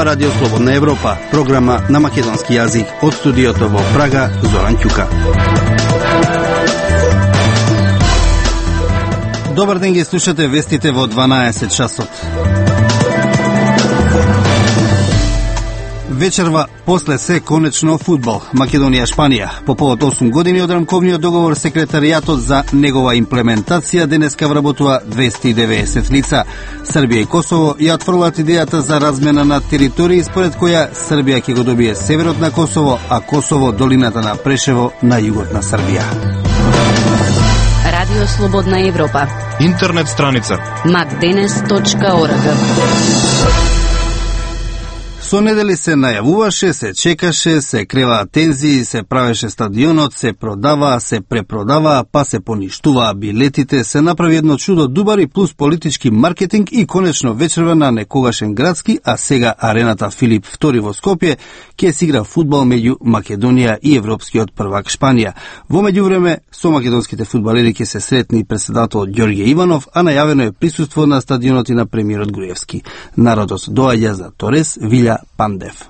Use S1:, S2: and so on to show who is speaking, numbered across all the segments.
S1: Ова Радио Слободна Европа, програма на македонски јазик од студиото во Прага, Зоран Ќука. Добар ден, ги слушате вестите во 12 часот. Вечерва после се конечно фудбал. Македонија-Шпанија. По повод 8 години од рамковниот договор, секретаријатот за негова имплементација денеска вработува 290 лица. Србија и Косово ја отфрлат идејата за размена на територии, според која Србија ќе го добие северот на Косово, а Косово долината на Прешево на југот на Србија.
S2: Радио Слободна Европа.
S3: Интернет страница
S2: macdenes.org.
S1: Со недели се најавуваше, се чекаше, се креваа тензии, се правеше стадионот, се продаваа, се препродаваа, па се поништуваа билетите, се направи едно чудо дубари плюс политички маркетинг и конечно вечерва на некогашен градски, а сега арената Филип II во Скопје ќе се игра фудбал меѓу Македонија и европскиот првак Шпанија. Во меѓувреме со македонските фудбалери ќе се сретни председател Ѓорѓе Иванов, а најавено е присуство на стадионот и на премиерот Груевски. Народот доаѓа за Торес, Вилја Пандев.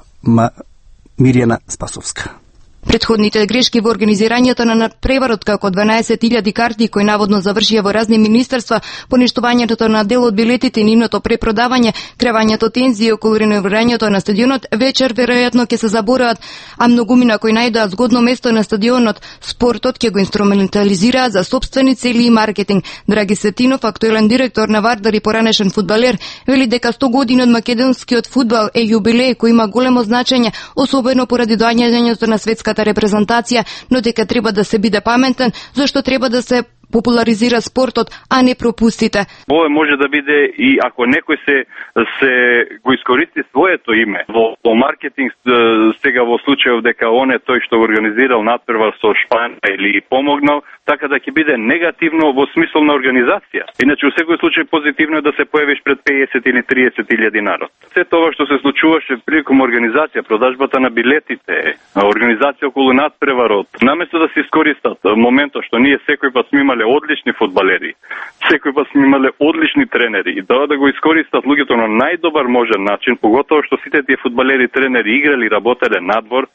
S1: Мирјана Спасовска.
S4: Претходните грешки во организирањето на надпреварот, како 12.000 карти кои наводно завршија во разни министерства, поништувањето на дел од билетите и нивното препродавање, кревањето тензии околу реновирањето на стадионот, вечер веројатно ќе се забораат, а многумина кои најдоа згодно место на стадионот, спортот ќе го инструментализираат за сопствени цели и маркетинг. Драги Светинов, актуелен директор на Вардар и поранешен фудбалер, вели дека 100 години од македонскиот фудбал е јубилеј кој има големо значење, особено поради доаѓањето на светска репрезентација, но дека треба да се биде паметен, зашто треба да се популаризира спортот, а не пропустите.
S5: Ова може да биде и ако некој се го искористи своето име во маркетинг, сега во случајов дека он е тој што организирал надпревар со Шпанија или помогнал, така да ќе биде негативно во смисол на организација. Иначе во секој случај позитивно е да се појавиш пред 50 или 30 илјади народ. Се тоа што се случуваше приликом организација, продажбата на билетите, организација околу надпреварот, наместо да се искористат моментот што ние секој пат сме имале одлични фудбалери, секој пат сме имале одлични тренери и да го искористат луѓето на најдобар можен начин, поготово што сите тие фудбалери, тренери играли, работеле надвор.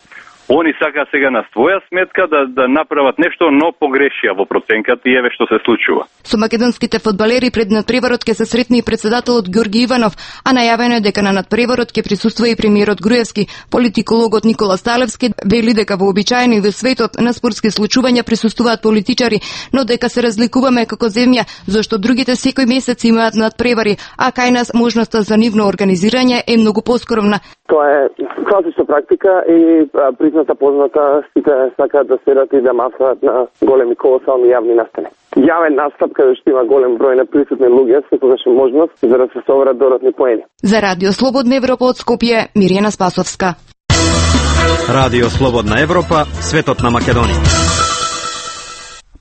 S5: Они сака сега на своја сметка да направат нешто, но погрешија во проценката и еве што се случува.
S4: Со македонските фудбалери пред надпреварот ќе се сретни и председателот Ѓорѓе Иванов, а најавено е дека на надпреварот ќе присуствува и премиерот Груевски. Политикологот Никола Сталевски вели дека вообичаено и во светот на спортски случувања присуствуваат политичари, но дека се разликуваме како земја, зашто другите секој месец имаат надпревари, а кај нас можноста за нивно организирање е многу поскромна.
S6: Тоа е класична практика и позната, сите сакаат да седат и да мафаат на големи колосални јавни настани. Јавен настап каде што има голем број на присутни луѓе, секогаш е можност за да се соберат додатни поени.
S4: За Радио Слободна Европа од Скопје, Мирјана Спасовска.
S7: Радио Слободна Европа, светот на Македонија.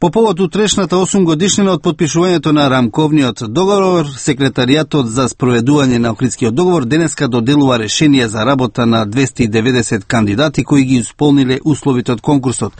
S1: По повод утрешната 8 годишнина од подпишувањето на рамковниот договор, секретаријатот за спроведување на Охридскиот договор денеска доделува решение за работа на 290 кандидати кои ги исполниле условите од конкурсот.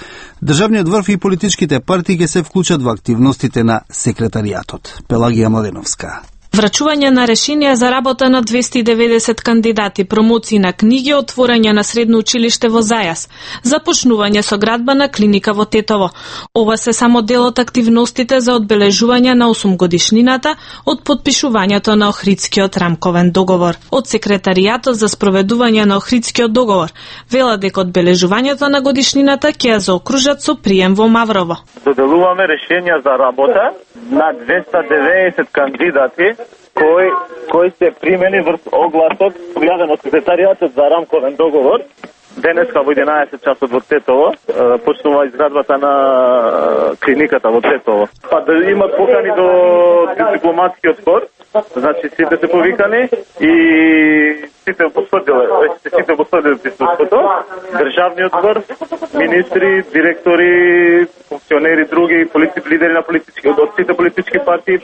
S1: Државниот врв и политичките партии ќе се вклучат во активностите на секретаријатот. Пелагија Младеновска.
S8: Врачување на решенија за работа на 290 кандидати, промоции на книги, отворање на средно училиште во Зајас, започнување со градба на клиника во Тетово. Ова се само дел од активностите за одбележување на 8 годишнината од подпишувањето на Охридскиот рамковен договор. Од секретаријатот за спроведување на Охридскиот договор велат дека одбележувањето на годишнината ќе ја заокружат со прием во Маврово.
S9: Доделуваме решенија за работа на 290 кандидати кои се примени врз огласот објавен од секретаријатот за рамковен договор. Денеска во 11 часот во Тетово почнува изградбата на клиниката во Тетово. Па да имат покани до дипломатскиот хор, значи сите се повикани и сите потврдиле присуството. Државниот врв, министри, директори, функционери, други лидери на од сите политички партии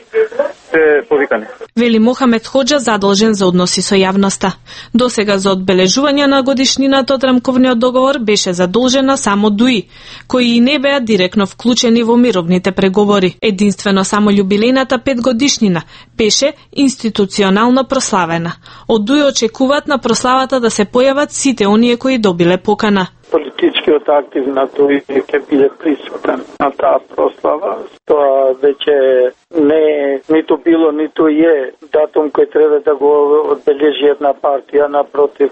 S9: се повикани.
S8: Вели Мохамед Хоџа, задолжен за односи со јавноста. Досега за одбележување на годишнината од рамковниот договор беше задолжена само ДУИ, кои и не беа директно вклучени во мировните преговори. Единствено само јубилејната 5 годишнина беше институционално прославена. Од ДУИ очекуваат на прославата да се појават сите оние кои добиле покана.
S3: Политичкиот актив на тој ќе биде присутен на таа прослава. Тоа веќе не е ниту било, ниту е датум кој треба да го одбележи една партија, напротив,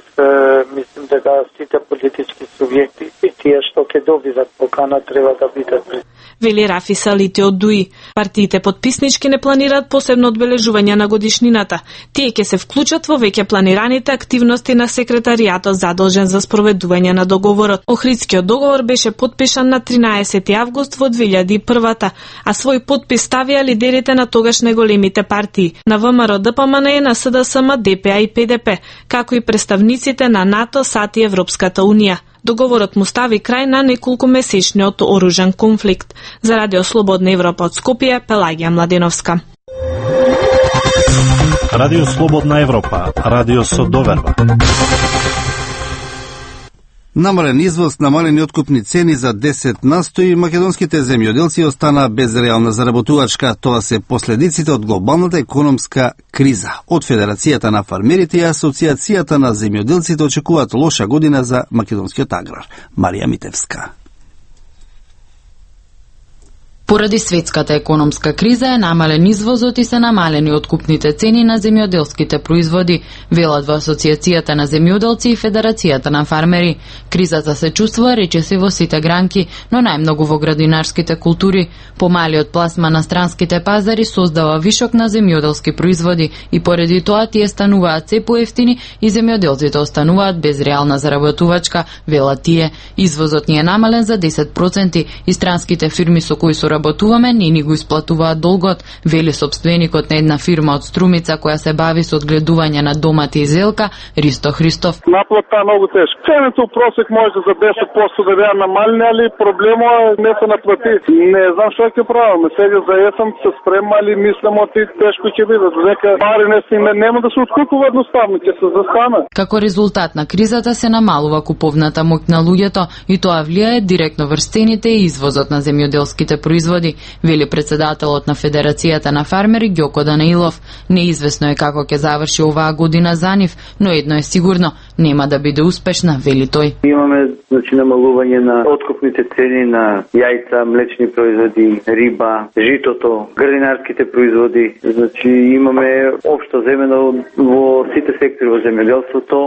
S3: мислим дека сите политички субјекти и тие што ќе добиват покана треба да бидат присутни.
S8: Вели Рафи Салити од ДУИ. Партиите потписнички не планираат посебно одбележување на годишнината. Тие ќе се вклучат во веќе планираните активности на секретаријатот задолжен за спроведување на договорот. Охридскиот договор беше потпишан на 13 август во 2001, а свој подпис ставија лидерите на тогаш најголемите партии, на ВМРО, ДПМН, на СДСМ, ДПА и ПДП, како и представниците на НАТО, САД и Европската Унија. Договорот му стави крај на неколку месечниот оружен конфликт. За Радио Слободна Европа од Скопје, Пелагија Младеновска.
S10: Радио Слободна Европа, радио со доверба.
S1: Намален извоз, намалени откупни цени за 10% и македонските земјоделци останаа без реална заработувачка. Тоа се последиците од глобалната економска криза. Од Федерацијата на фармерите и Асоциацијата на земјоделците очекуваат лоша година за македонскиот аграр. Марија Митевска.
S11: Поради светската економска криза е намален извозот и се намалени откупните цени на земјоделските производи, велат во Асоциацијата на земјоделци и Федерацијата на фармери. Кризата се чувствува речиси во сите гранки, но најмногу во градинарските култури. Помалиот пласма на странските пазари создава вишок на земјоделски производи и поради тоа тие стануваат се поевтини и земјоделците остануваат без реална заработувачка, велат тие. Извозот ни е намален за 10% и странските фирми со кои работуваме не ни го исплатуваат долгот, вели собственикот на една фирма од Струмица која се бави со одгледување на домати и зелка, Ристо Христов.
S12: Наплата е многу тешка. Цените у просек може за 10% да беа намалени, али проблемот е не се наплати. Не знам што ќе правиме. Сега за есен се спремали, мислам оти тешко ќе биде. Дека пари нема да се откупува едноставно, ќе се застана.
S11: Како резултат на кризата се намалува куповната моќ на луѓето и тоа влијае директно врз цените и извозот на земјоделските производи, вели председателот на Федерацијата на фармери Ѓоко Данаилов. Неизвестно е како ќе заврши оваа година за нив, но едно е сигурно, нема да биде успешна, вели тој.
S13: Имаме намалување на откупните цени на јајца, млечни производи, риба, житото, градинарските производи. Имаме општо земено во сите сектори во земјоделството,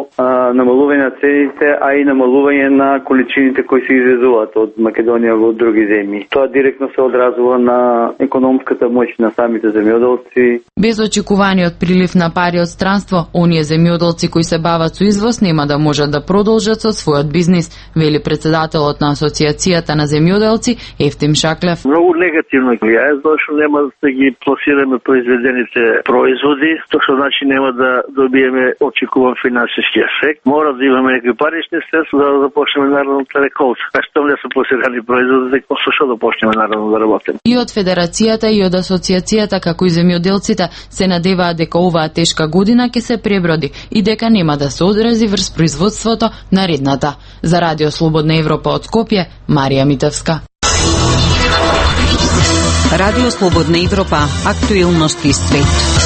S13: намалување на цените, а и намалување на количините кои се извезуваат од Македонија во други земји. Тоа директно се одразува на економската моќ на самите земјоделци.
S11: Без очекуваниот прилив на пари од странство, оние земјоделци кои се бават со извоз нема да можат да продолжат со својот бизнис, вели председателот на Асоциацијата на земјоделци Ефтим Шаклев.
S14: Многу негативно влијае, зашто нема да ги пласираме произведените производи, што значи нема да добиеме очекуван финансиски ефект. Мора да имаме некои парични средства да започнеме народната реколта. А што не се пласирани производи, со што да почнеме народно да работиме.
S11: И од Федерацијата и од Асоциацијата како и земјоделците се надеваат дека оваа тешка година ќе се преброди и дека нема да се одрази врз производството наредната. За Радио Слободна Европа од Скопје, Марија Митевска.
S2: Радио Слободна Европа, актуелности свет.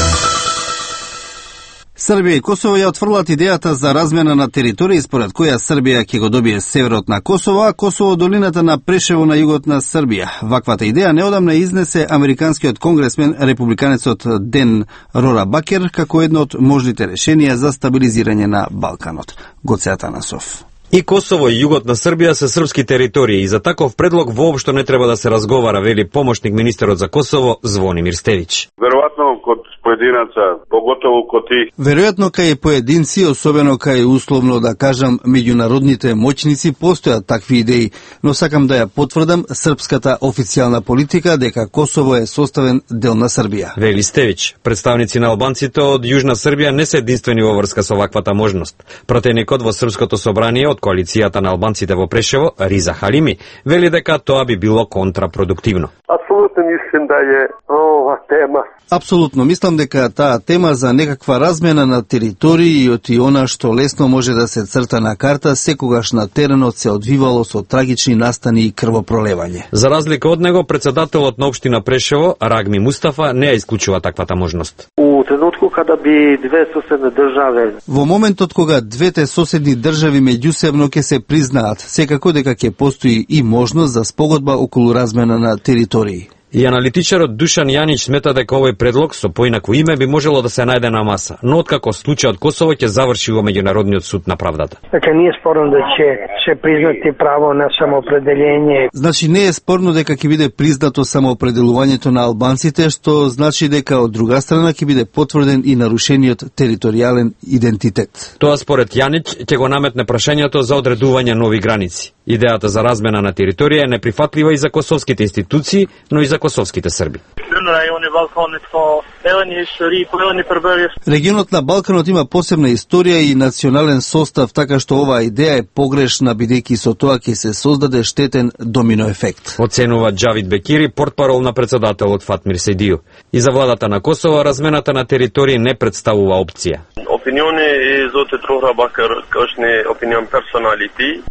S1: Србија и Косово ја отфрлат идејата за размена на територии според која Србија ќе го добие северот на Косово, а Косово долината на Прешево на југот на Србија. Ваквата идеја неодамна изнесе американскиот конгресмен републиканецот Ден Рора Бакер како едно од можните решенија за стабилизирање на Балканот. Гоце Атанасов.
S7: И Косово и југот на Србија се српски територии и за таков предлог воопшто не треба да се разговара, вели помошник министерот за Косово Звонимир Стевич.
S15: Веројатно код поединаца, поготово коти.
S1: Веројатно кај поединци, особено кај условно да кажам меѓународните моќници, постојат такви идеи, но сакам да ја потврдам српската официјална политика дека Косово е составен дел на Србија.
S7: Вели Стевич, представници на албанците од Јужна Србија не се единствени во врска со ваквата можност. Пратеникот во Српското собрание од коалицијата на албанците во Прешево, Риза Халими, вели дека тоа би било контрапродуктивно.
S16: Апсолутно мислам да е ова тема.
S1: Апсолутно мислам дека таа тема за некаква размена на територии и од она што лесно може да се црта на карта, секогаш на теренот се одвивало со трагични настани и крвопролевање.
S7: За разлика од него, председателот на општина Прешево, Рагми Мустафа, не ја исклучува таквата можност.
S16: У тренутку када би две соседни држави...
S1: Во моментот кога двете соседни држави меѓусебно ќе се признаат, секако дека ќе постои и можност за спогодба околу размена на територии.
S7: И аналитичарот Душан Јанич смета дека овој предлог со поинакво име би можело да се најде на маса, но откако случајот Косово ќе заврши во Меѓународниот суд на правдата.
S17: Така не е спорно да ќе признати право на самоопределение.
S1: Значи не е спорно дека ќе биде признато самоопределувањето на албанците, што значи дека од друга страна ќе биде потврден и нарушениот територијален идентитет.
S7: Тоа според Јанич ќе го наметне прашањето за одредување нови граници. Идејата за размена на територија е неприфатлива и за косовските институции, но и за косовските срби. Регионот на
S1: Балканот има посебна историја и национален состав, така што оваа идеја е погрешна, бидејќи со тоа ќе се создаде штетен домино ефект.
S7: Оценува Джавид Бекири, портпарол на председателот Фатмир Сейдију. И за владата на Косово размената на територии не представува опција.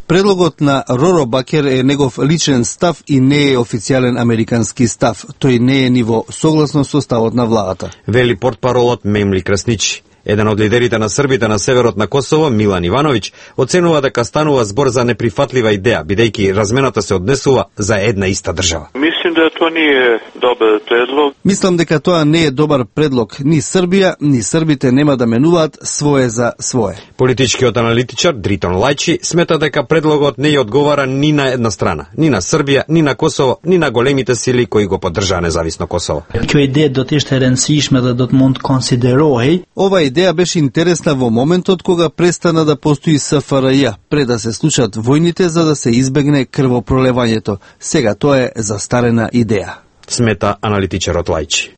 S7: Предлогот на Роро Бакер е негов личен став и не е официјален американски став. Тој не е ниво согласно со ставот на владата. Вели портпаролот Мемли Красничи. Еден од лидерите на србите на северот на Косово, Милан Ивановиќ, оценува дека станува збор за неприфатлива идеја, бидејќи размената се однесува за една иста држава.
S15: Мислам дека тоа не е добар предлог.
S1: Мислам дека тоа не е добар предлог. Ни Србија, ни србите нема да менуваат свое за свое.
S7: Политичкиот аналитичар Дритон Лајчи смета дека предлогот не ја одговара ни на една страна, ни на Србија, ни на Косово, ни на големите сили кои го поддржаа независно Косово.
S18: Kjo ide do të ishte e rëndësishme dhe do të mund të konsiderohej.
S1: Ова идеја беше интересна во моментот кога престана да постои СФРЈ, пред да се случат војните за да се избегне крвопролевањето. Сега тоа е застарена идеја.
S7: Смета аналитичарот Лајчи.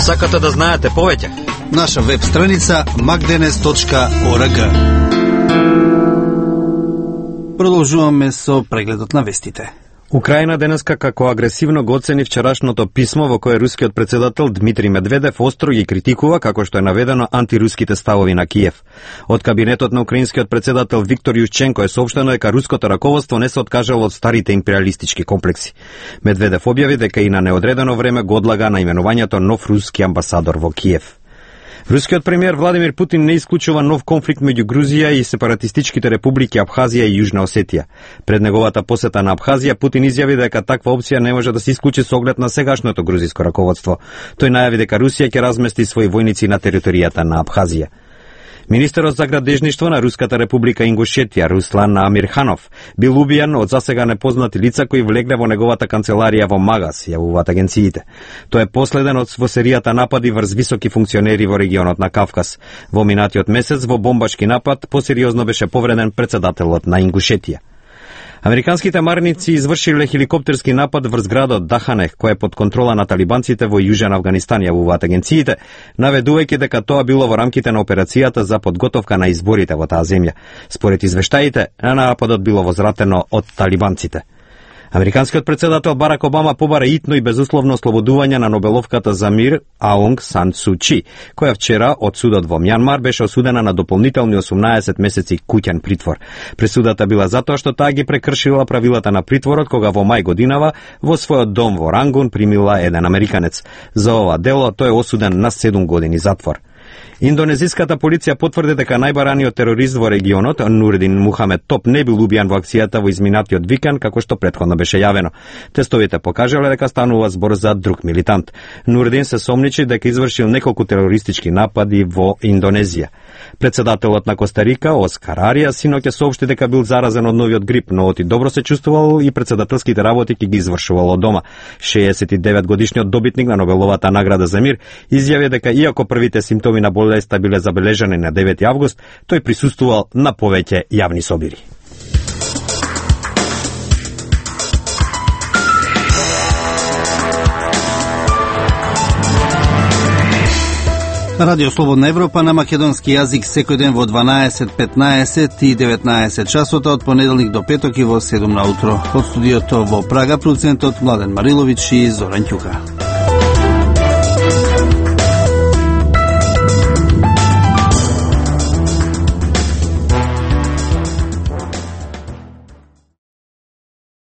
S7: Сакате да знаете повеќе?
S1: Наша веб страница magdenes.org. Продолжуваме со прегледот на вестите.
S7: Украина денеска како агресивно го оцени вчерашното писмо во кое рускиот председател Дмитрий Медведев остро ги критикува, како што е наведено, антируските ставови на Киев. Од кабинетот на украинскиот председател Виктор Јушченко е соопштено дека руското раководство не се откажало од старите империалистички комплекси. Медведев објави дека и на неодредено време го одлага наименувањето нов руски амбасадор во Киев. Рускиот премиер Владимир Путин не исклучува нов конфликт меѓу Грузија и сепаратистичките републики Абхазија и Јужна Осетија. Пред неговата посета на Абхазија, Путин изјави дека таква опција не може да се исклучи со оглед на сегашното грузиско раководство. Тој најави дека Русија ќе размести своји војници на територијата на Абхазија. Министерот за градежништво на Руската република Ингушетија, Руслан Амирханов, бил убиен од засега непознати лица кои влегле во неговата канцеларија во Магас, јавуваат агенциите. Тој е последен од во серијата напади врз високи функционери во регионот на Кавказ. Во минатиот месец во бомбашки напад посериозно беше повреден председателот на Ингушетија. Американските марници извршиле хеликоптерски напад врз градот Даханех, кој е под контрола на талибанците во Јужен Авганистан, јавуваат агенциите, наведувајќи дека тоа било во рамките на операцијата за подготовка на изборите во таа земја. Според извештаите, нападот било возвратено од талибанците. Американскиот председател Барак Обама побара итно и безусловно ослободување на Нобеловката за мир Аунг Сан Су Чи, која вчера од судот во Мјанмар беше осудена на дополнителни 18 месеци куќен притвор. Пресудата била затоа што таа ги прекршила правилата на притворот кога во мај годинава во својот дом во Рангун примила еден американец. За ова дело тој е осуден на 7 години затвор. Индонезиската полиција потврди дека најбараниот терорист во регионот, Нурдин Мухамед Топ, не бил убијан во акцијата во изминатиот викенд, како што претходно беше јавено. Тестовите покажале дека станува збор за друг милитант. Нурдин се сомничи дека извршил неколку терористички напади во Индонезија. Председателот на Коста Рика, Оскар Арија, синоќа соопшти дека бил заразен од новиот грип, но оти добро се чувствувал и председателските работи ќе ги извршувал од дома. 69 годишниот добитник на Нобеловата награда за мир изјави дека иако првите симптоми на болеста биле забележани на 9 август, тој присуствувал на повеќе јавни собири.
S1: Радио Слободна Европа на македонски јазик секој ден во 12, 15 и 19 часота од понеделник до петок и во 7 на утро. Од студиото во Прага, продуцентот Младен Мариловиќ и Зоран Ќука.